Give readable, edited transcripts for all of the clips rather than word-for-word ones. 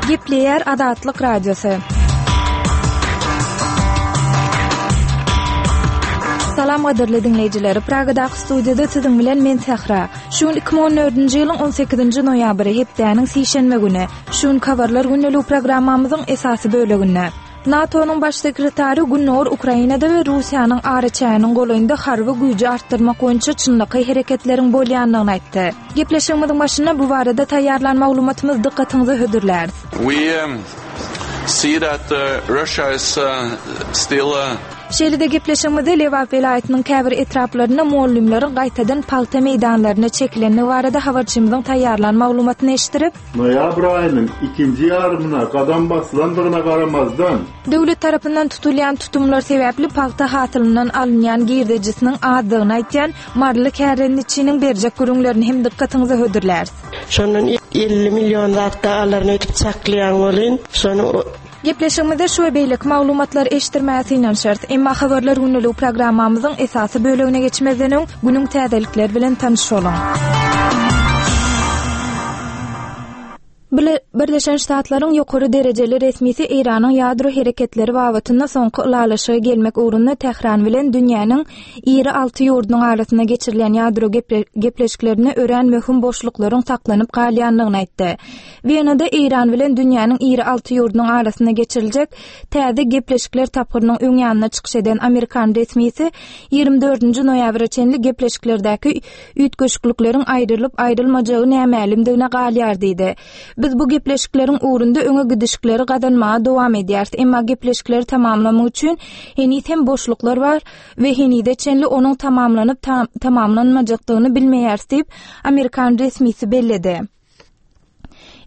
Gepleýär Azatlyk Radiosy. Salam gadyrly diňleýjiler. Pragadaky studiýada siziň bilen men Sähra. Şu gün 2014-nji ýylyň 18-nji noýabry, hepdäniň sişenbe güni. Şu gün Habarlar gündeligi programmamyzyň esasy böleginde. NATO-nyň baş sekretary Gündogar Ukrainada we Russiýanyň araçäginiň golaýynda harby güýji artdyrmak boýunça çynlakaý hereketleriň bolýandygyny aýtdy. Gepleşigimiziň başynda bu barada taýýarlan maglumatymyzy dykgatyňyza hödürläris. We see that Russia is still. Şeýle-de gepleşigimizde Lebap welaýatynyň käbir etraplarynda mugallymlaryň gaýtadan pagta meýdanlaryna çekilendigi barada habarçymyzyň taýýarlan maglumatyny eşitdirip, Noýabr aýynyň ikinji ýarymyna gadam basylandygyna garamazdan, Döwlet tarapyndan tutulýan tutumlar sebäpli pagta hasylyndan alynýan girdejisiniň azdygyny aýtýan maryly kärendeçiniň berjek gürrüňlerini hem dykgatyňyza hödürläris. Şondan 50 million zat-da alaryn öýdüp çaklaýan welin, şony Gepleşigimizde şu we beýleki maglumatlary eşitdirmäge synanyşarys. Emma Habarlar gündeligi programmamyzyň esasy bölegine geçmezden öň, günüň täzelikleri bilen tanyş boluň. Birleşen Ştatlaryň ýokary derejeli resmisi Eýranyň ýadro hereketleri babatynda soňky ylalaşyga gelmek ugrunda Tähran bilen dünýäniň iri alty ýurdunyň arasynda geçirilýän ýadro gepleşiklerinde örän möhüm boşluklaryň saklanyp galýandygyny aýtdy. Wenada Eýran bilen dünýäniň iri alty ýurdunyň arasynda geçiriljek täze gepleşikler tapgyrynyň öň ýanynda çykyş eden amerikan resmisi 24-nji noýabra çenli gepleşiklerdäki üýtgeşiklikleriň aýrylyp-aýrylmajagy nämälimdigine galýar diýdi. Biz bu gepleşikleriň ugrunda öňe gidişikleri gazanmaga dowam edýäris, emma gepleşikleri tamamlamak üçin heniz hem boşluklar bar we henize çenli onuň tamamlanyp-tamamlanmajakdygyny bilmeýäris diýip, amerikan resmisi belledi.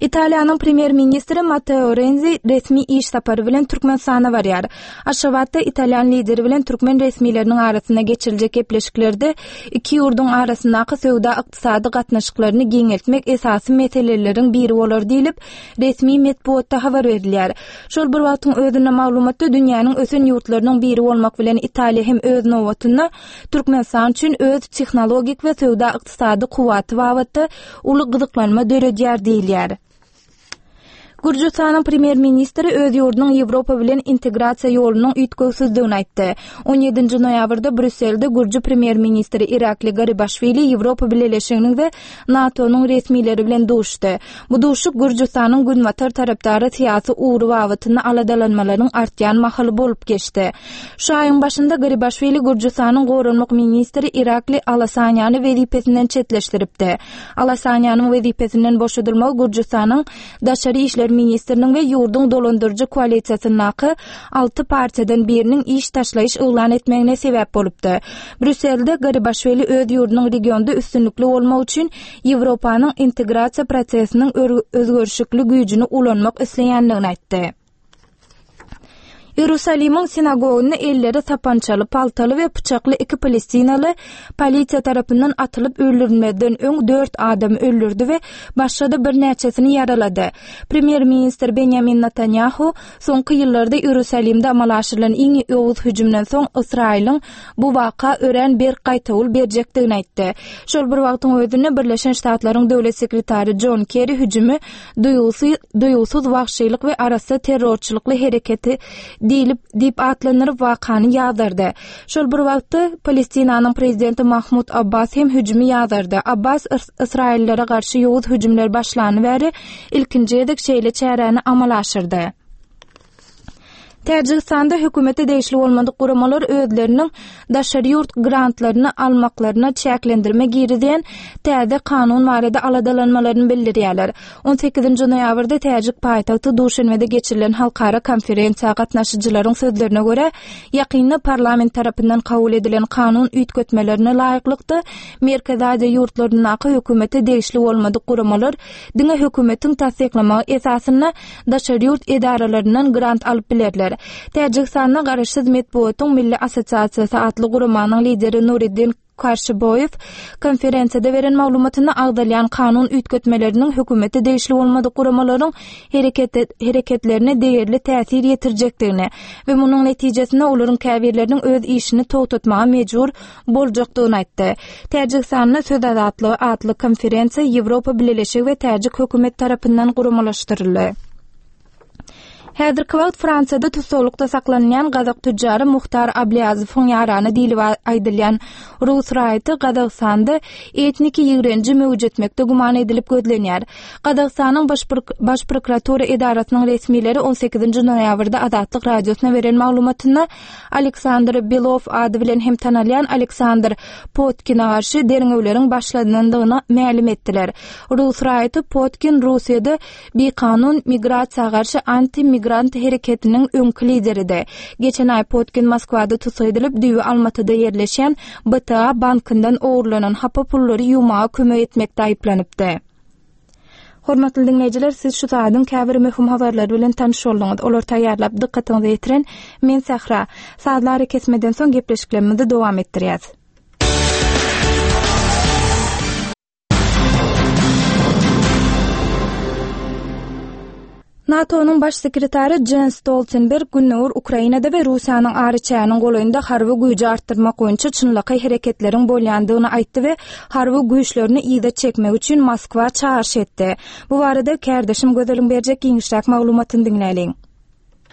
Italiýanyň premýer-ministri Matteo Renzi resmi iş sapary bilen Türkmenistana barýar. Aşgabatda italýan lideri bilen türkmen resmileriniň arasynda geçiriljek gepleşiklerde iki ýurduň arasyndaky söwda-ykdysady gatnaşyklaryny giňeltmek esasy meseleleriň biri bolar diýlip, resmi metbugatda habar berilýär. Şol bir wagtyň özünde maglumatda dünýäniň ösen ýurtlarynyň biri bolmak bilen Italiýa hem öz nobatynda Türkmenistan üçin öz tehnologik we söwda-ykdysady kuwwaty babatda uly gyzyklanma döredýär diýilýär. Gürjüstanyň premýer-ministri öz ýurdunyň Ýewropa bilen integrasiýa ýolunyň üýtgewsizdigini aýtdy. 17-nji noýabrda Brýusselde gürji premýer-ministri Irakli Garibaşwili Ýewropa Bileleşiginiň we NATO-nyň resmileri bilen duşdy. Bu duşuşyk Gürjüstanyň günbatar tarapdary syýasy ugry babatynda aladalanmalaryň artýan mahaly bolup geçdi. Şu aýyň başynda Garibaşwili Gürjüstanyň goranmak ministri Irakli Alasaniýany wezipesinden çetleşdiripdi. Alasaniýanyň wezipesinden boşadylmagy Gürjüstanyň daşary işler ministriniň we ýurduň dolandyryjy koalisiýasyndaky alty partiýadan biriniň iş taşlaýyş yglan etmegine sebäp bolupdy. Brýusselde Garibaşwili öz ýurdunyň regionda üstünlikli bolmak üçin Ýewropanyň integrasiýa prosesiniň özgerişikli güýjüni ulanmak isleýändigini aýtdy. Iýerusalimiň sinagogynda elleri sapançaly, paltaly we pyçakly iki palestinaly polisiýa tarapyndan atylyp öldürilmezden öň dört adamy öldürdi we başga-da birnäçesini ýaralady. Premýer-ministr Benýamin Netanýahu soňky ýyllarda Iýerusalimde amala aşyrylan iň ýowuz hüjümden soň Ysraýylyň bu waka örän berk gaýtawul berjekdigini aýtdy. Şol bir wagtyň özünde Birleşen Ştatlaryň döwlet sekretary Jon Kerri hüjümi duýgusy, duýgusyz wagşylyk we arassa terrorçylykly hereketi diýlip diýip atlandyryp wakany ýazardy. Şol bir wagtda Palestinanyň prezidenti Mahmud Abbas hem hüjümi ýazardy. Abbas ysraýyllylara garşy ýowuz hüjümler başlany bäri ilkinji gezek şeýle çäräni amala aşyrdy. Täjigistanda hökümete degişli bolmadyk guramalar özleriniň daşary ýurt grantlaryny almaklaryna çäklendirme girizýän täze kanun barada aladalanmalaryny bildirýärler. On sekizinji noýabrda täjik paýtagty Duşenbede geçirilen halkara konferensiýa gatnaşyjylaryň sözlerine görä, ýakynda parlament tarapyndan kabul edilen kanun üýtgetmelerine laýyklykda, Merkezi Aziýa ýurtlaryndaky hökümete degişli bolmadyk guramalar diňe hökümetiň tassyklamagy esasynda daşary ýurt edaralaryndan grant alyp bilerler. Täjigistanda Garaşsyz metbugatyň milli assosiasiýasy atly guramanyň lideri Nuriddin Karşyboýew konferensiýada beren maglumatynda agzalýan kanun üýtgetmeleriniň hökümete degişli bolmadyk guramalaryň hereketlerine degerli täsir ýetirjekdigini we munuň netijesinde olaryň käbirleriniň öz işini togtatmaga mejbur boljakdygyny aýtdy. Täjigistanda Söz azatlygy atly konferensiýa Ýewropa Bileleşigi we täjik hökümeti tarapyndan guramalaşdyryldy. Häzirki wagt Fransiýada tussaglykda saklanylýan gazak tüjjary Muhtar Ablýazowyň ýarany diýlip aýdylýan rus raýaty Gazagystanda etniki ýigrenji möwjetmekde güman edilip gözlenýär. Gazagystanyň Baş prokuratura edarasynyň resmileri on sekizinji noýabrda Azatlyk Radiosyna beren maglumatynda Aleksandr Below ady bilen hem tanalýan Aleksandr Potkine garşy derňewleriň başlanandygyny mälim etdiler. Rus raýaty Potkin Russiýada bikanun migrasiýa garşy anti-migrant hereketiniň öňki lideridi. Geçen aý Potkin Moskwada tussag edilip, düýbi Almatyda ýerleşýän BTA bankyndan ogurlanan hapa pullary ýuwmaga kömek etmekde aýyplanypdy. Hormatly diňleýjiler, siz şu saadyň käbir möhüm habarlary bilen tanyş bolduňyz. Olary taýýarlap, dykgatyňyza ýetiren men Sähra. Sazly arakesmeden soň gepleşiklerimizi dowam etdirýäs. NATO-nyň baş sekretary Jens Stoltenberg gündogar Ukrainada we Russiýanyň araçäginiň golaýynda harby güýji artdyrmak boýunça çynlakaý hereketleriň bolýandygyny aýtdy we harby güýçlerini yza çekmek üçin Moskwa çagyryş etdi. Bu barada kärdeşim Gözeliň berjek giňişräk maglumatyny diňläliň.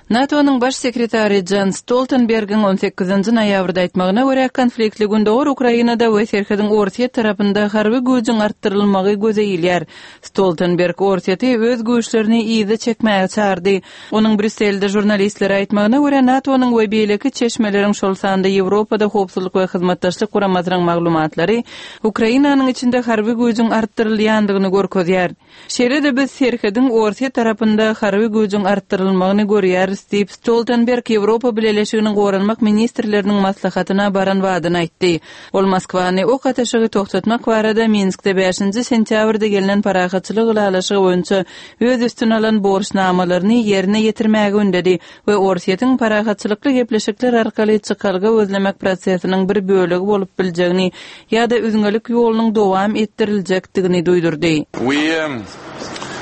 NATO-nyň Baş sekretary Jens Stoltenbergiň on sekizinji noýabrda aýtmagyna görä, konfliktli gündogar Ukrainada we serhediň Orsýet tarapynda harby güýjüň artdyrylmagy göze ilýär. Stoltenberg Orsýeti öz güýçlerini yza çekmäge çagyrdy. Onuň Brýusselde žurnalistlere aýtmagyna görä, NATO-nyň we beýleki çeşmeleriň, şol sanda Ýewropada Howpsuzlyk we Hyzmatdaşlyk Guramasynyň maglumatlary Ukrainanyň içinde harby güýjüň artdyrylýandygyny görkezýär. Şeýle-de biz serhediň Orsýet tarapynda harby güýjüň artdyrylmagyny görýäris diýip, Stoltenberg Ýewropa Bileleşiginiň goranmak ministrleriniň maslahatyna baran badyna aýtdy. Ol Moskwany ok atyşygy togtatmak barada Minskde bäşinji sentýabrda gelnen parahatçylyk ylalaşygy boýunça öz üstüne alan borçnamalaryny ýerine ýetirmäge ündedi we Orsýetiň parahatçylykly gepleşikler arkaly çykalga gözlemek prosesiniň bir bölegi bolup biljegini ýa-da üzňelik ýolunyň dowam etdiriljekdigini duýdurdy. We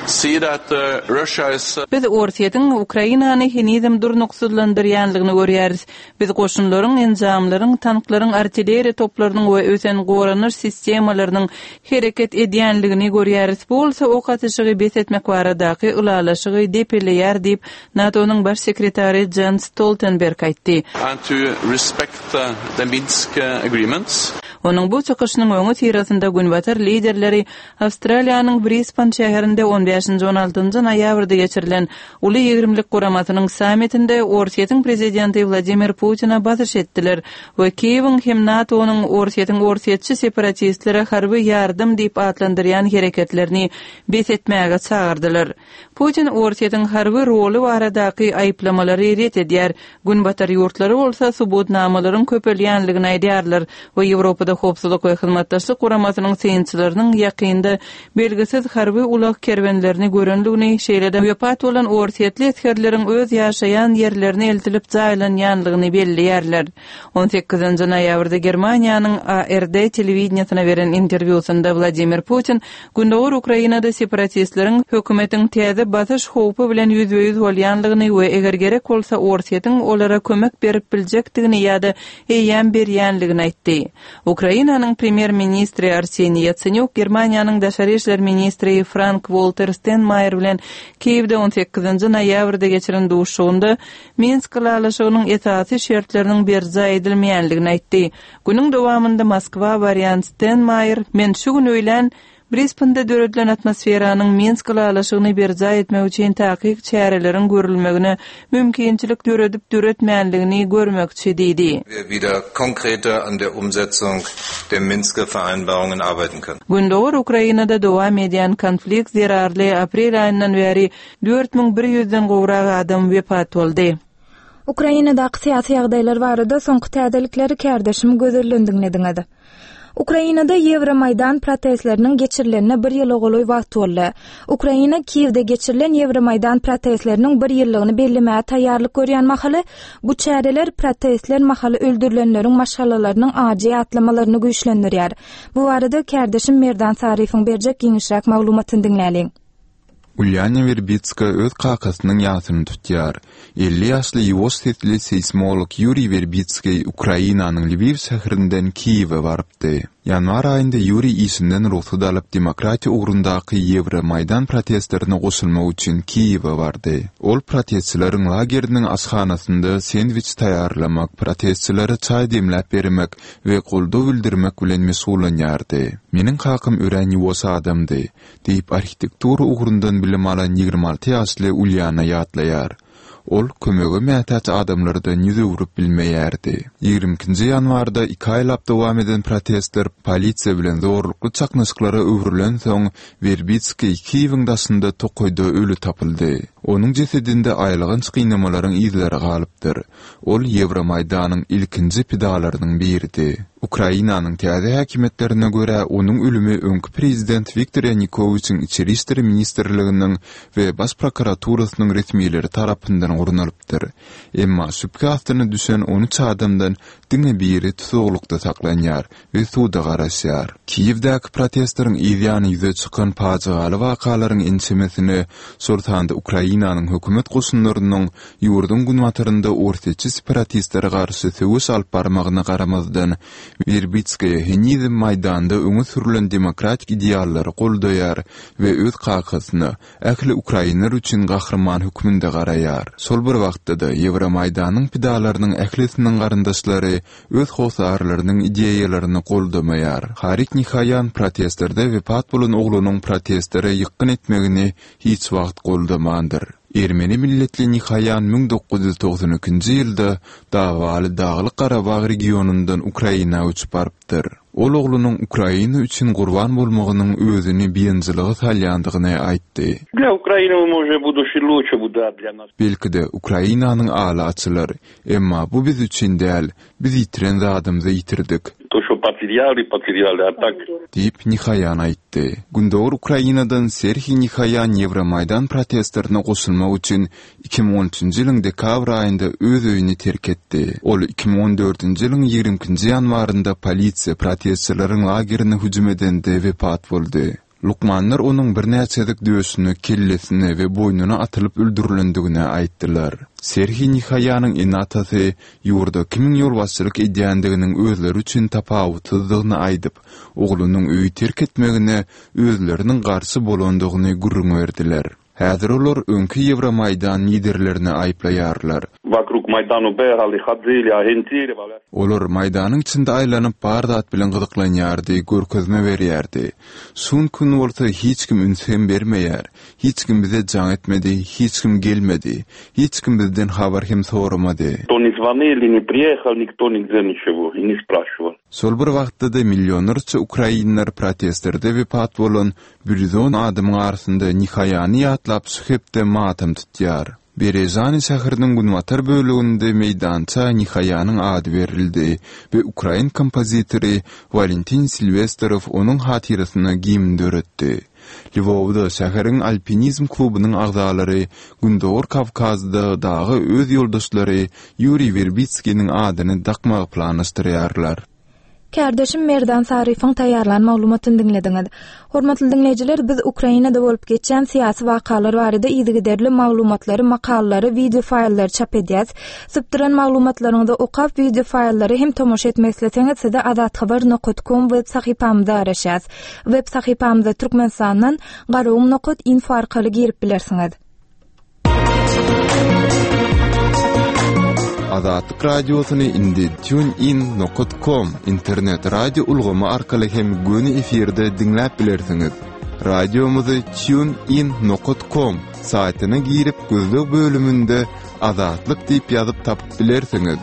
see that Russia is. Biz Orsýetiň Ukrainany henizem durnuksyzlandyrýanlygyny görýäris. Biz goşunlaryň, enjamlaryň, tanklaryň, artilleriýa toplarynyň we ösen goranyş sistemalarynyň hereket edýänligini görýäris. Bu bolsa ok atyşygy bes etmek baradaky ylalaşygy depeleýär diýip, NATO-nyň Baş sekretary Jens Stoltenberg aýtdy. And to respect the Minsk agreements. Onuň bu çykyşynyň öňüsyrasynda günbatar liderleri Awstraliýanyň Brisban şäherinde on bäşinji-on altynjy noýabrda geçirilen Uly ýigrimlik guramasynyň sammitinde Orsýetiň prezidenti Wladimir Putine basyş etdiler we Kiýewiň hem NATO-nyň Orsýetiň orsýetçi separatistlere harby ýardam diýip atlandyrýan hereketlerini bes etmäge çagyrdylar. Putin Orsýetiň harby roly baradaky aýyplamalary ret edýär, Günbatar ýurtlary bolsa subutnamalaryň köpelýänligini aýdýarlar we Ýewropada Howpsuzlyk we Hyzmatdaşlyk Guramasynyň synçylarynyň ýakynda belgisiz harby ulag kerwenlerini görenligini, şeýle-de wepat bolan orsýetli esgerleriň öz ýaşaýan ýerlerine eltilip jaýlanýanlygyny belleýärler. On sekizinji noýabrda Germaniýanyň ARD telewideniýesine beren interwýusynda Wladimir Putin Gündogar Ukrainada separatistleriň hökümetiň täze basyş howpy bilen ýüzbe-ýüz bolýanlygyny we eger gerek bolsa Orsýetiň olara kömek berip biljekdigini ýa-da eýýäm berýänligini aýtdy. Ukrainanyň premýer-ministri Arseniý Ýatsenýuk Germaniýanyň daşary işler ministri Frank-Walter Stenmaýer bilen Kiýewde on sekizinji noýabrda geçiren duşuşygynda Minsk ylalaşygynyň esasy şertleriniň berjaý edilmeýänligini aýtdy. Günüň dowamynda Moskwa barýan Stenmaýer, Men şu gün öýlän Brisbende döredilen atmosferanyň Minsk ylalaşygyny berjaý etmek üçin takyk çäreleriň görülmegine mümkinçilik döredip-döretmänligini görmekçi diýdi. wir wieder konkreter an der Umsetzung der Minsker Vereinbarungen arbeiten können. Gündogar Ukrainada dowam edýän konflikt zerarly aprel aýyndan bäri 4100-den gowrak adam wepat boldy. Ukrainadaky syýasy ýagdaýlar barada soňky täzelikleri kärdeşim Gözelden diňlediňiz. Ukrainada Ýewromaýdan protestleriniň geçirilenine bir ýyla golaý wagt boldy. Ukraina Kiýewde geçirilen Ýewromaýdan protestleriniň bir ýyllygyny bellemäge taýýarlyk görýän mahaly, bu çäreler protestler mahaly öldürilenleriň maşgalalarynyň ajy ýatlamalaryny güýçlendirýär. Bu barada kärdeşim Merdan Saryýewiň berjek giňişräk maglumatyny diňläliň. Ulýana Werbitska öz kakasynyň ýasyny tutýar. 50 ýaşly ýuwaş sesli seýsmolog Ýuriý Werbitskiý Ukrainanyň Lwiw şäherinden Kiýewe barypdy. Ýanwar aýynda Ýuriý işinden rugsat alyp, demokratiýa ugrundaky Ýewromaýdan protestlerine goşulmak üçin Kiýewe bardy. Ol protestçileriň lageriniň aşhanasynda sendwiç taýýarlamak, protestçilere çaý demläp bermek we goldaw bildirmek bilen meşgullanýardy. Meniň kakam örän ýuwaş adamdy, diýip, arhitektura ugrundan bilim alan 26 ýaşly Ulýana ýatlaýar. Ol kömege mätäç adamlardan ýüz öwrüp bilmeýärdi. Ýigrimi ikinji ýanwarda iki aýlap dowam eden protestler polisiýa bilen zorlukly çaknyşyklara öwrülensoň, Werbitskiý Kiýewiň daşynda tokaýda öli tapyldy. Onuň jesedinde aýylganç gynamalaryň yzlary galypdyr. Ol Ýewromaýdanyň ilkinji pidalarynyň biridi. Ukrainanyň täze häkimiýetlerine görä, onuň ölümi öňki prezident Wiktor Ýanukowiçiň Içeri işler ministrliginiň we Baş prokuraturasynyň resmileri tarapyndan gurnalypdyr. Emma şübhe astyna düşen 13 adamdan diňe biri tusaglykda saklanýar we suda garaşýar. Kiýewdäki protestleriň yz ýany ýüze çykan pajygaly wakalaryň ençemesine, şol sanda Ukrainanyň hökümet goşunlarynyň ýurduň günbatarynda orsýetçi separatistlere garşy söweş alyp barmagyna garamazdan, Werbitskaýa henizem Maýdanda öňe sürlen demokratik ideallary goldaýar we öz kakasyna ähli ukrainler üçin gahryman hökmünde garaýar. Şol bir wagtda-da, Ýewromaýdanyň pidalarynyň ählisiniň garyndaşlary öz hossarlarynyň ideýalaryny goldamaýar. Harik Nihaýan protestlerde wepat bolan oglunyň protestlere ýykgyn etmegini hiç wagt goldamandyr. Ermeni milletli Nihaýan 1992-nji ýylda dawaly Daglyk-Garabag regionyndan Ukraina göçüp barypdyr. Ol oglunyň Ukraina üçin gurban bolmagynyň özüni biynjylyga salýandygyny aýtdy. Belki-de, Ukrainanyň aly açylar. Emma bu biz üçin däl, biz ýitiren zadymyzy ýitirdik. Diýip, Nihaýan aýtdy. Gündogar Ukrainadan Serhiý Nihaýan Ýewromaýdan protestlerine goşulmak üçin 2013-nji ýylyň dekabr aýynda öz öýüni terk etdi. Ol 2014-nji ýylyň 22-nji ýanwarynda polisiýa protestçileriň lagerine hüjüm edende wepat boldy. Lukmanlar onuň birnäçe gezek döşüne, kellesine we boýnuna atylyp öldürilendigini aýtdylar. Serhiý Nihaýanyň ene-atasy ýurda kimiň ýolbaşçylyk edýändiginiň özleri üçin tapawutsyzdygyny aýdyp, oglunyň öýi terk etmegine özleriniň garşy bolandygyny gürrüň berdiler. Häzir olar öňki Ýewromaýdan liderlerini aýyplaýarlar. Olar Maýdanyň içinde aýlanyp, bar zat bilen gyzyklanýardy, görkezme berýärdi. Şu gün bolsa hiç kim üns hem bermeýär. Hiç kim bize jaň etmedi, hiç kim gelmedi. Hiç kim bizden habar hem soramady. Şol bir wagtda-da millionlarça ukrainler protestlerde wepat bolan 110 adamyň arasynda Nihaýany ýatlap şu hepde matam tutýar. Berezany şäheriniň günbatar böleginde meýdança Nihaýanyň ady berildi we ukrain kompozitory Walentin Silwesterow onuň hatyrasyna gimn döretdi. Lwowda şäheriň alpinizm klubunyň agzalary Gündogar Kawkazda daga öz ýoldaşlary Ýuriý Werbitskiniň adyny dakmagy planlaşdyrýarlar. Kärdeşim Merdan Saryýewiň taýýarlan maglumatyny diňlediňiz. Hormatly diňleýjiler, biz Ukrainada bolup geçýän syýasy wakalar barada yzygiderli maglumatlary, makalalary, wideo faýllary çap edýäs. Sypdyran maglumatlaryňyzy okap, wideo faýllary hem tomaşa etmek isleseňiz, size azathabar nokat kom web sahypamyzda garaşýas. Web sahypamyza Türkmenistandan garagum nokat info arkaly girip bilersiňiz. Azatlyk Radiosyny indi TuneIn nokat kom internet radio ulgamy arkaly hem göni efirde diňläp bilersiňiz. Radiomyzy TuneIn nokat kom saýtyna girip gözleg bölüminde Azatlyk diýip ýazyp tapyp bilersiňiz.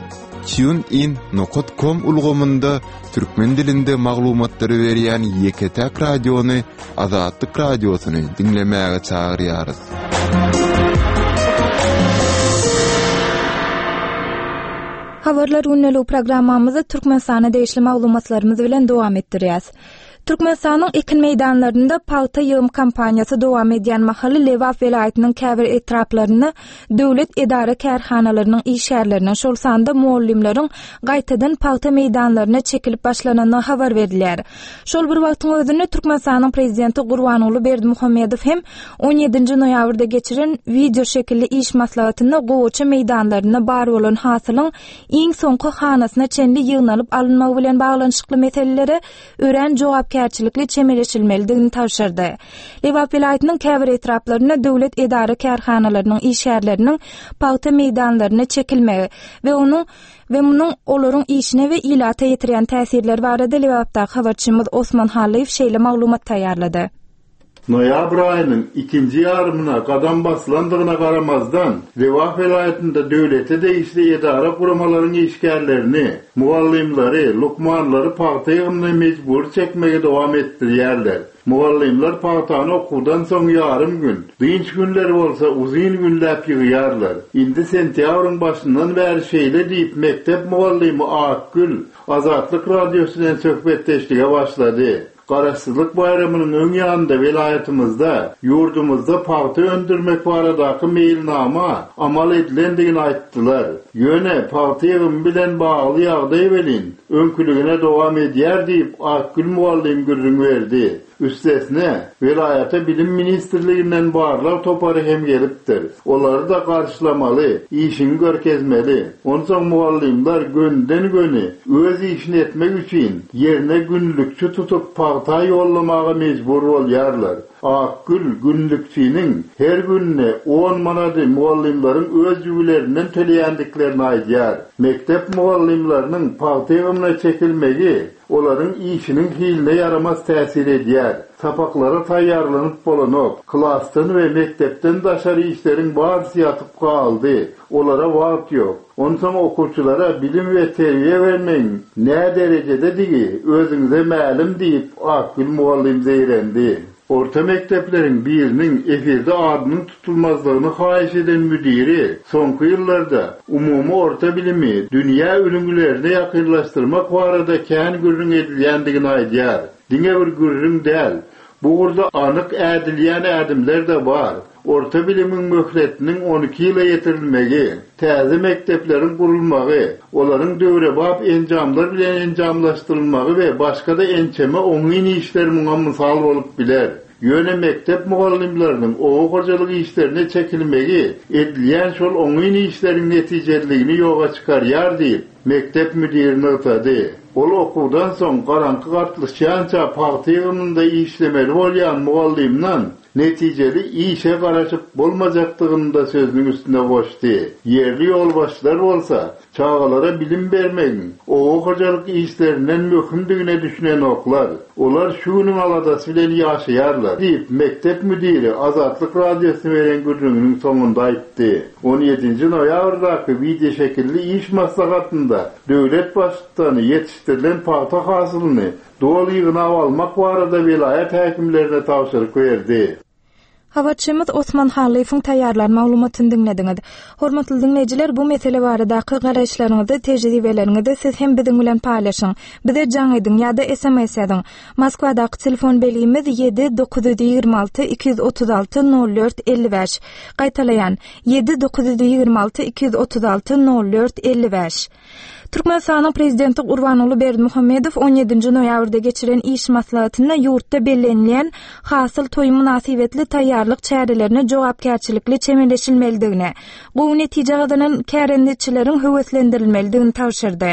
TuneIn nokat kom ulgamynda türkmen dilinde maglumatlary berýän ýeke-täk radiony Azatlyk Radiosyny diňlemäge çagyrýarys. Habarlar gündeligi programmamyzy Türkmenistana degişli maglumatlarymyz bilen dowam etdirýäs. Türkmenistanyň ekin meýdanlarynda pagta ýygym kampaniýasy dowam edýän mahaly Lebap welaýatynyň käbir etraplarynda döwlet edara-kärhanalarynyň işgärleriniň, şol sanda mugallymlaryň gaýtadan pagta meýdanlaryna çekilip başlanandygy habar berilýär. Şol bir wagtyň özünde Türkmenistanyň Prezidenti Gurbanguly Berdimuhamedow hem on ýedinji noýabrda geçiren wideoşekilli iş maslahatynda gowaça meýdanlarynda bar bolan hasylyň iň soňky hanasyna çenli ýygnalyp alynmagy bilen baglanyşykly meselelere örän jogapkärçilikli çemeleşilmelidigini tabşyrdy. Lebap welaýatynyň käbir etraplarynda döwlet edara-kärhanalarynyň işgärleriniň pagta meýdanlaryna çekilmegi we onuň we munuň olaryň işine we ilata ýetirýän täsirleri barada Lebapdaky habarçymyz Osman Hallyýew şeýle maglumat taýýarlady. Noýabr aýynyň ikinji ýarymyna gadam basylandygyna garamazdan, Lebap welaýatynda döwlete degişli edara-guramalaryň işgärlerini, mugallymlary, lukmanlary pagta ýygymyna mejbury çekmegi dowam etdirýärler. Mugallymlar pagtany okuwdan soň ýarym gün, dynç günleri bolsa uzyn günläp ýygýarlar. Indi sentýabryň başyndan bäri şeýle diýip, mekdep mugallymy Akgül Azatlyk Radiosy bilen söhbetdeşlige başlady. Garaşsyzlyk baýramynyň öň ýanynda welaýatymyzda, ýurdumyzda pagta öndürmek baradaky meýilnama amal edilendigini aýtdylar. Ýöne pagta ýygymy bilen bagly ýagdaý welin, öňküligine dowam edýär diýip, Akgül mugallym gürrüň berdi. Üstesine, welaýata Bilim ministrliginden barlag topary hem gelipdir. Olary-da garşylamaly, işiňi görkezmeli. Onsoň mugallymlar gönüden-göni öz işini etmek üçin ýerine günlükçi tutup pagta ýollamaga mejbur bolýarlar. Akgül günlükçiniň her gününe on manady mugallymlaryň öz jübülerinden töleýändiklerini aýdýar. Mekdep mugallymlarynyň pagta ýygymyna çekilmegi olaryň işiniň hiline ýaramaz täsir edýär. Sapaklara taýýarlanyp bolanok. Klasdan we mekdepden daşary işleriň barysy ýatyp galdy. Olara wagt ýok. Onsoň okuwçylara bilim we terbiýe bermegiň nä derejededigi özüňize mälim diýip, Akgül mugallym zeýrendi. Orta mekdepleriň biriniň efirde adynyň tutulmazlygyny haýyş eden müdiri soňky ýyllarda umumy orta bilimi dünýä ülňülerine ýakynlaşdyrmak barada kän gürrüň edilýändigini aýdýar. Diňe bir gürrüň däl, bu ugurda anyk ädilýän ädimler-de bar. Orta bilimiň möhletiniň 12 ýyla ýetirilmegi, täze mekdepleriň gurulmagy, olaryň döwrebap enjamlar bilen enjamlaşdyrylmagy we başga-da ençeme oňyn işler muňa mysal bolup biler. Ýöne mekdep mugallymlarynyň oba hojalyk işlerine çekilmegi edilýän şol oňyn işleriň netijeliligini ýoga çykarýar diýip, mekdep müdiri nygtady. Ol okuwdan soň garaňky gatlyşýança pagta ýygymynda işlemeli bolýan mugallymdan Netijeli işe garaşyp bolmajakdygyny-da sözüniň üstüne goşdy. Ýerli ýolbaşçylar bolsa, çagalara bilim bermegiň oba hojalyk işlerinden möhümdigine düşünenoklar. Olar şu günüň aladasy bilen ýaşaýarlar, diýip, mekdep müdiri Azatlyk Radiosyna beren gürrüňiniň soňunda aýtdy. On ýedinji noýabrdaky wideoşekilli iş maslahatynda döwlet Baştutany ýetişdirilen pagta hasylyny Doly ýygnap almak barada welaýat häkimlerine tabşyryk berdi. Habarçymyz Osman Hallyýewiň taýýarlan maglumatyny diňlediňiz. Hormatly diňleýjiler, bu mesele baradaky garaýyşlaryňyzy, tejribeleriňizi siz hem biziň bilen paýlaşyň. Bize jaň ediň ýa-da sms ýazyň. Moskwadaky telefon belgimiz 7 926 236 04 55. Gaýtalaýan, 7 926 236 04 55. Türkmenistanyň Prezidenti Gurbanguly Berdimuhamedow on ýedinji noýabrda geçiren iş maslahatynda ýurtda bellenilýän Hasyl toýy mynasybetli taýýarlyk çärelerine jogapkärçilikli çemeleşilmelidigini, gowy netije gazanan kärendeçileriň höweslendirilmelidigini tabşyrdy.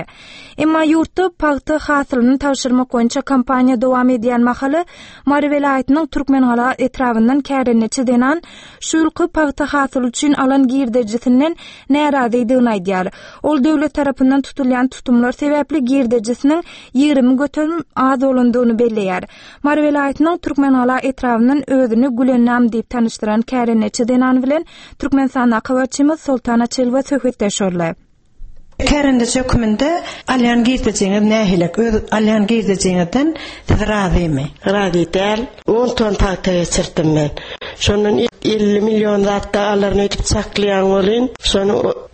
Emma ýurtda pagta hasylyny tabşyrmak boýunça kampaniýa dowam edýän mahaly Mary welaýatynyň Türkmengala etrabyndan kärendeçi zenan şu ýylky pagta hasyly üçin alan girdejisinden närazydygyny aýdýar. Ol döwlet tarapyndan tutulýan tutumlar sebäpli girdejisiniň 20% az bolandygyny belleýär. Mary welaýatynyň Türkmengala etrabyndan özüni Gülennam diýip tanyşdyran kärendeçi zenan bilen Türkmenistandaky habarçymyz Soltan Açylowa söhbetdeş boldy. Kärendeçi hökmünde alýan girdejiňiz nähili? Öz alýan girdejiňizden siz razymy? Razy däl. On ton pagta geçirdim men. Şondan 50 million zat-da alaryn öýdüp çaklaýan welin, şony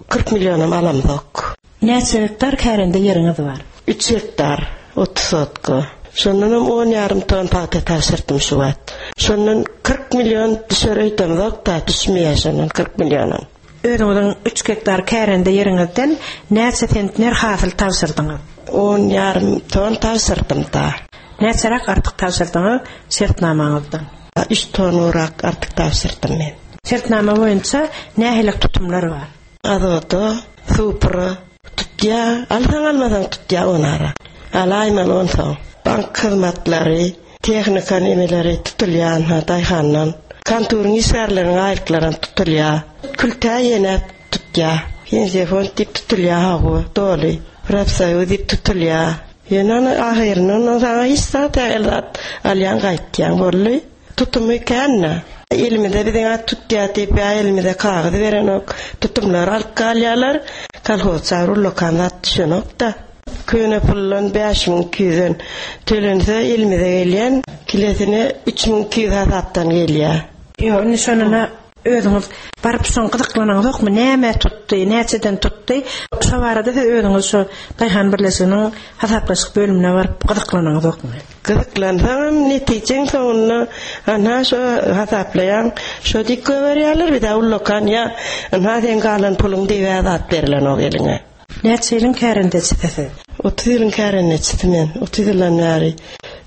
40 millionam alamzok. Näçe gektar kärende ýeriňiz bar? Üç gektar, 30 sotka. Şondanam on ýarym ton pagta tabşyrdym şu wagt. Şondan 40 million düşer öýdemzok-da, düşmeýär şondan 40 millionam. Özüňiziň üç gektar kärende ýeriňizden näçe sentner hasyl tabşyrdyňyz? On ýarym ton tabşyrdym-da. Näçeräk artyk tabşyrdyňyz şertnamaňyzdan? Üç ton gowrak artyk tabşyrdym men. Şertnama boýunça nähili tutumlar bar? Azota, supra tutýa, alsaň-almasaň tutýa onara. Alaýmaly onsoň. Bank hyzmatlary, tehnika nemeleri tutulýa ynha daýhandan. Konturyň işgärleriniň aýlyklaram tutulýa. Kültä ýene tutýa. Pensiýa fond diýip tutulýa hawa, doly. Profsoýuz diýip tutulýa. Ýöne ony ahyrynda ondan saňa hiç zat el zat alýaň gaýtýaň boldy. Tutumy kän-dä. Elimize biziň at tutýar diýip ýa elimize kagyz berenok. Tutumlary alyp galýarlar. Kolhozça bir ullakan zat düşenok-da. Köne puldan 5200-den tölense elimize gelýän kilesine 3200 hasapdan gelýär. Ýok, indi şonuna Özüňiz baryp şoň gyzyklanaňyzokmy, nämä tutdy, näçeden tutdy? Şo barada siz özüňiz şo daýhan birleşiginiň hasaplaşyk bölümine baryp gyzyklanaňyzokmy? Gyzyklansaňam netijeň soňunda anha şo hasaplaýaň, şo diýip goýberýärler, bir-de ullakan ýa ynha seň galan puluň diýibä zat berilenok eliňe. Näçe ýylyň kärendeçisi siz? 30 ýylyň kärendeçisi men. 30 ýyldan bäri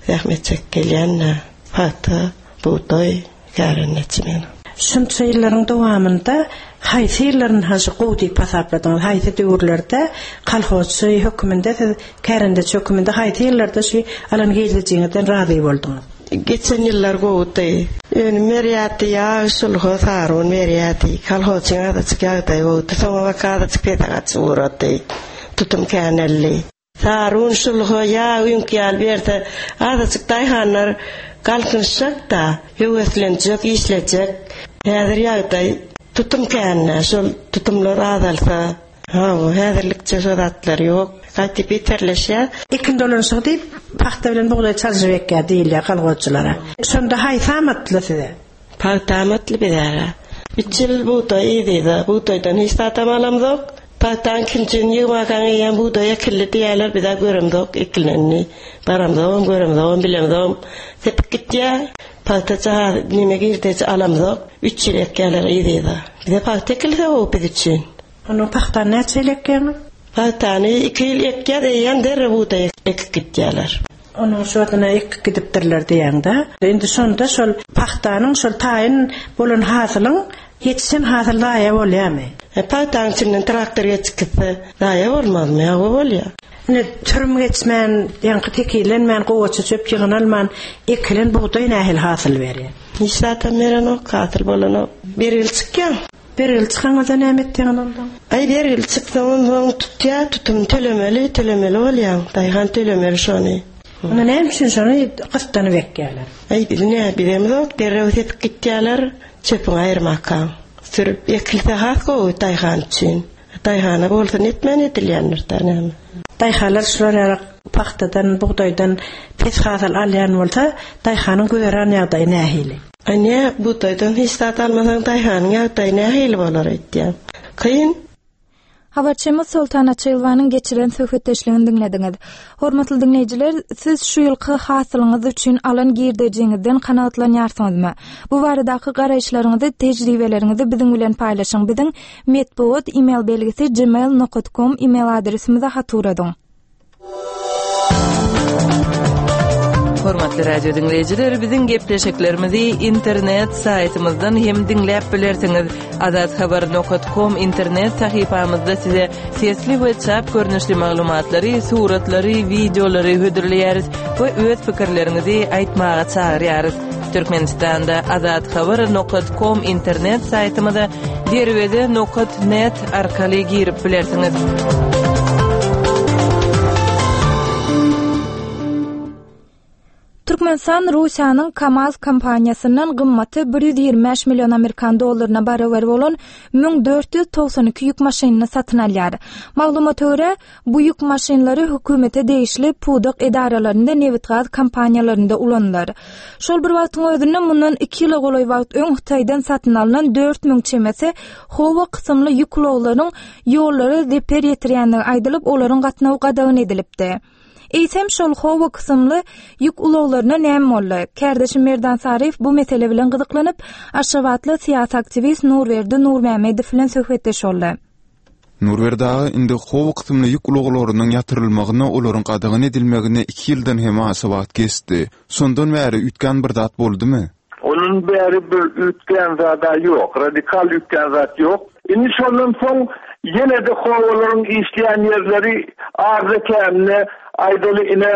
zähmet çekip gelýän-dä. Pagta, bugdaý. Kärendeçi men. Şunça ýyllaryň dowamynda haýsy ýyllaryny has gowy diýip hasapladyňyz? Haýsy döwürlerde kolhozçy höküminde siz kärendeçi höküminde haýsy ýyllarda şu alan girdejiňizden razy bolduňyz? Geçen ýyllar gowudy. Önüm berýärdi, ýag, şulha, sary un berýärdi. Kolhozçyň azajyk ýagdaýy gowudy. Soňabaka azajyk pese gaçyp ugrady. Tutum käneldi. Sarun, şulha, ýag, üňk ýaly berse, azajyk daýhanlar galkynyşjak-da, höweslenjek, işlejek. Häzir ýagdaý tutum kän-dä, şol tutumlar azalsa, hawa, häzirlikçe şo zatlar ýok. Gaty beterleşýär. Ekin dolanyşygy diýip, pagta bilen bugdaý çalşyp ekýär diýilýär kolhozçylara. Şonda haýsy amatly size? Pagta amatly bizäre. Üç ýyl bugdaý yz-yza. Bugdaýdan hiç zadam alamzok. Pagtaň ikinjini ýygmakaň eýýäm bugdaý ekildi diýýärler, biz-ä göremzok ekilenini. Baramzogam, göremzogam, bilemzogam. Sepip gitýär. Pagta jahaz neme girdeji alamzok. Üç ýyl ekýärler yz-yza. Bize pagta ekilse gowy biz üçin. Onda pagtany näçe ýyl ekýäňiz? Pagtany iki ýyl ekýäs, eýýäm derrew bugdaý ekip gitýärler. Onuň şodyna ekip gidipdirler diýýäň-dä. Indi şonda şol pagtanyň şol taýyn bolan hasylyň ýetişen hasyl zaýa bolýarmy? E, pagtaň içinden traktor geçip gitse, zaýa bolmazmy? Hawa bolýar. Indi sürüm geçmän, ýaňky tekizlenmän, gowaça çöp ýygnalman ekilen bugdaý nähili hasyl berýär? Hiç zatam berenok, hasyl bolanok. Bergili çykýar. Bergili çykaňyzda näme etýäňiz onsoň? Aý, bergili çyksaň onsoň tutýar, tutum tölemeli, tölemeli bolýaň. Daýhan tölemeli şony. Onda näme üçin şony gyssanyp ekýärler? Aý, biz nä bilemzok, derrew sepip gitýärler, çöpüňi aýyrmakaň. Sürüp ekilse has gowy daýhan üçin. Daýhana bolsa netmän edilýändir-dä näme. Daýhanlar şular ýaly pagtadan, bugdaýdan pes hasyl alýan bolsa, daýhanyň güzeran ýagdaýy nähili? A nä, bugdaýdan hiç zat almasaň daýhanyň ýagdaýy nähili bolar öýtýäň? Kyn. Habarçymyz Soltan Açylowanyň geçiren söhbetdeşligini diňlediňiz. Hormatly diňleýjiler, siz şu ýylky hasylyňyz üçin alan girdejiňizden kanagatlanýarsyňyzmy? Bu baradaky garaýyşlaryňyzy, tejribeleriňizi biziň bilen paýlaşyň. Biziň metbugat email belgisi gmail nokat com email adresimize hat ugradyň. Hormatly radio diňleýjiler, biziň gepleşiklerimizi internet saýtymyzdan hem diňläp bilersiňiz. Azathabar.com internet sahypamyzda size sesli we çap görnüşli maglumatlary, suratlary, wideolary hödürleýäris we öz pikirleriňizi aýtmaga çagyrýarys. Türkmenistanda Azathabar nokat kom internet saýtymyza derweze nokat net arkaly girip bilersiňiz. Türkmenistan Russiýanyň KAMAZ kompaniýasyndan gymmaty 125 million amerikan dollaryna barabar bolan 1492 ýük maşynyny satyn alýar. Maglumata görä, bu ýük maşynlary hökümete degişli pudak edaralarynda nebitgaz kompaniýalarynda ulanylar. Şol bir wagtyň özünde mundan iki ýyla golaý wagt öň Hytaýdan satyn alnan 4000 çemesi Howa kysymly ýük ulaglaryň ýollara zeper ýetirýändigi aýdylyp, olaryň gatnawy gadagan edilipdi. Eýsem, şol Howo kysymly ýük ulaglaryna näme boldy? Kärdeşim Merdan Saryýew bu mesele bilen gyzyklanyp, aşgabatly syýasy aktiwist Nurberdi Nurmämmedow bilen söhbetdeş boldy. Nurberdi aga, indi Howo kysymly ýük ulaglarynyň ýatyrylmagyna, olaryň gadagan edilmegine iki ýyldan hem aşa wagt geçdi. Şondan bäri üýtgän bir zat boldumy? Ondan bäri bir üýtgän zad-a ýok, radikal üýtgän zat ýok. Indi şondan soň ýene-de howalaryň işleýän ýerleri azda-kände, aýdaly ine,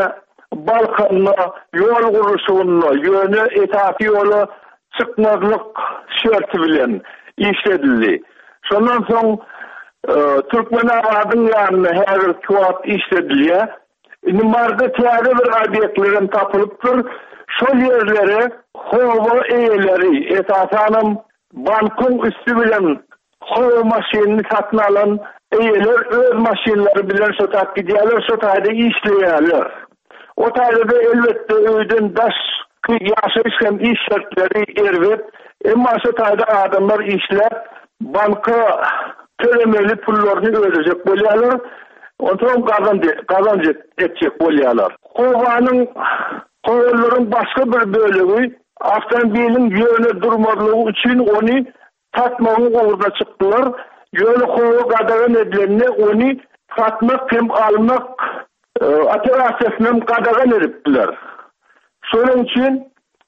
Balkanda ýol gurluşygynda, ýöne esasy ýola çykmazlyk şerti bilen işledildi. Şondan soň Türkmenabadyň ýanynda häzirki wagt işledilýär. Indi Maryda täze bir obýektlerem tapylypdyr. Şol ýerlere howa eýeleri, esasanam bankyň üsti bilen howa maşynyny satyn alan eýeler öz maşynlary bilen şo tap gidýärler, şo taýda işleýärler. O taýda-da elbetde öýden daşky ýaşaýyş hem iş şertleri erbet. Emma şo taýda adamlar işläp, banka tölemeli pullaryny ödejek bolýarlar. Onsoň gazanç gazanç etjek bolýarlar. Howanyň howalaryň başga bir bölegi awtomobiliň ýöne durmazlygy üçin ony satmagyň ugruna çykdylar. Ýöne howa gadagan edilende ony satmak hem almak operasiýasyny hem gadagan edipdiler. Şonuň üçin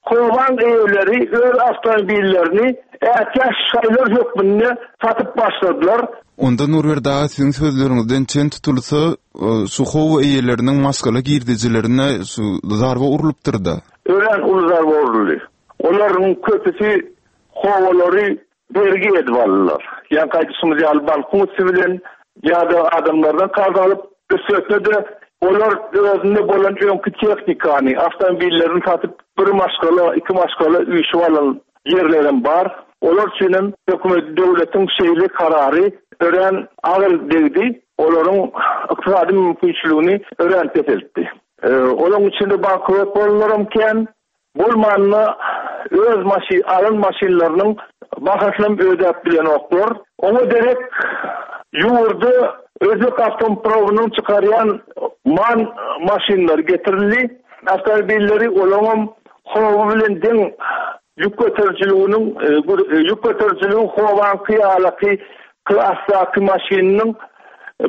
Howaň eýeleri öz awtomobillerini ätiýaç şaýlar hökmünde satyp başladylar. Onda Nurberdi aga siziň sözleriňizden çen tutulsa, şu howa eýeleriniň maşgala girdejilerine şu zarba urlupdyrda? Örän uly zarba uruldy. Olaryň köpüsi howalary bergi edip aldylar. Ýaňky aýdyşymyz ýaly bankyň üsti bilen ýa-da adamlardan karz alyp, üstesine-de olar özünde bolan öňki tehnikany, awtomobillerini satyp bir maşgala, iki maşgala üýşüp alan ýerlerem bar. Olar üçin hem hökümet, döwletiň şeýle karary örän agyr degdi, olaryň ykdysady mümkinçiligini örän peseltdi. Olaryň içinde bankrot bolanlaram kän, Bolmanda öz maşyn alan maşynlarynyň bahasynam ödäp bilenoklar. Oňa derek ýurda özbek awtoprowynyň çykarýan man maşynlary getirildi. Awtomobilleri olaňam howy bilen deň ýük göterijiliginiň ýük göterijiligi howaňky ýalaky klasdaky maşynynyň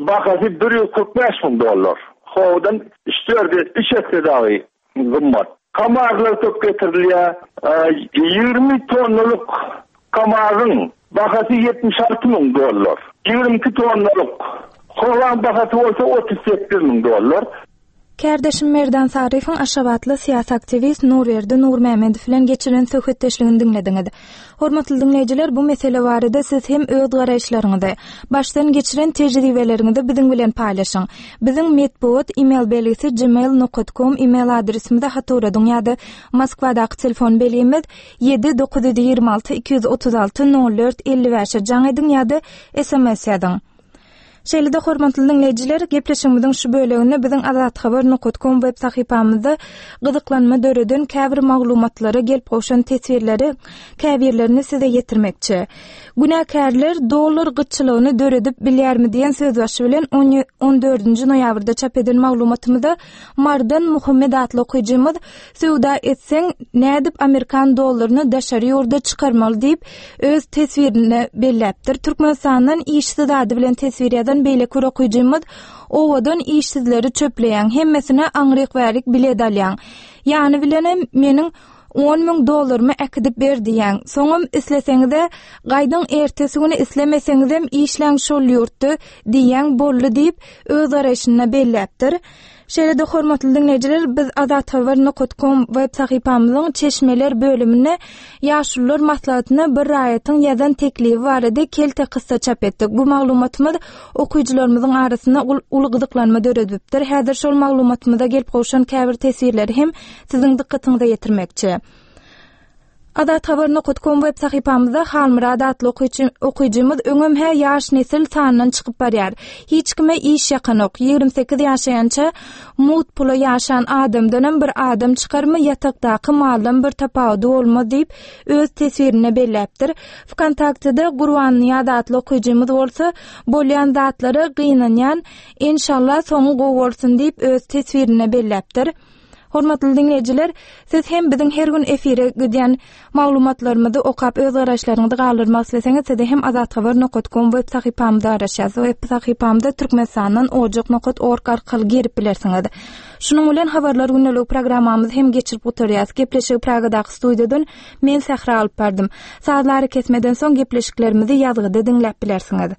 bahasy 145 müň dollar. Howdan üç-dört üç esse dagy gymmat. Kamazlar köp getirilýär. 20 tonnalyk Kamazyň bahasy 76 müň dollar. 22 tonnalyk Howaň bahasy bolsa 38 müň dollar. Kärdeşim Merdan Saryýewiň aşgabatly syýasy aktiwist Nurberdi Nurmämmedow bilen geçiren söhbetdeşligini diňlediňiz. Hormatly diňleýjiler, bu mesele barada siz hem öz garaýyşlaryňyzy, başdan geçiren tejribeleriňizi biziň bilen paýlaşyň. Biziň metbugat email belgisi gmail nokat kom email adresimize hat ugradyň ýa-da Moskwadaky telefon belgimiz 7 926 236 04 55-e jaň ediň ýa-da sms ýazyň. Şeýle-de hormatly diňleýjiler, gepleşigimiziň şu böleginde biziň azathabar nokat kom web sahypamyzda gyzyklanma döreden käbir maglumatlara gelip gowşan teswirleri käbirlerini size ýetirmekçi. Günäkärler dollar gytçylygyny döredip bilýärmi diýen sözbaşy bilen on dördünji noýabrda çap eden maglumatymyzda Marydan Muhammet atly okyjymyz Söwda etseň, nädip amerikan dollaryny daşary ýurda çykarmaly diýip, öz teswirinde belläpdir. Türkmenistandan işsiz ady bilen teswir ýazan beýleki bir okyjymyz Owadan işsizleri çöpleýäň, hemmesine aňryk-bärik bilet alýaň. Ýany bilenem meniň 10 000 dollarymy äkidip ber diýýäň. Soňam isleseňiz-ä gaýdyň ertesi güni islemeseňizem işläň şol ýurtda diýýäň boldy diýip, öz garaýşynda belläpdir. Şeýle-de hormatly diňleýjiler, biz Azathabar nokat kom web sahypamyzyň çeşmeler bölüminde Ýaşulular maslahatyna bir raýatyň ýazan teklibi barada kelte kyssa çap etdik. Bu maglumatymyz okyjylarymyzyň arasynda uly gyzyklanma döredipdir. Häzir şol maglumatymyza gelip gowşan käbir teswirleri hem siziň dykgatyňyza ýetirmekçi. Azathabar nokat kom web sahypamyzda Halmyrat atly okyjy, okyjymyz öňem-hä ýaş nesil sandan çykyp barýar. Hiç kime iş ýakanok. 28 ýaşaýança mugt pula ýaşan adamdanam bir adam çykarmy, ýatakdaky maldan bir tapawudy bolmaz diýip, öz teswirinde belläpdir. Wkontaktede Gurbannyýaz atly okyjymyz bolsa, bolýan zatlara gynanýan, enşalla soňy gowy bolsun diýip, öz teswirinde belläpdir. Hormatly diňleýjiler, siz hem biziň her gün efire gidýän maglumatlarymyzy okap öz garaýyşlaryňyzy galdyrmak isleseňiz, size hem azathabar nokat kom web sahypamyzda garaşýarys. Web sahypamyza Türkmenistandan ojak nokat org arkaly girip bilersiňiz. Şunuň bilen habarlar gündeligi programmamyzy hem geçirip gutarýarys. Gepleşigi Pragadaky studiýadan men Sähra alyp bardym. Sazly arakesmeden soň gepleşiklerimizi ýazgyda diňläp bilersiňiz.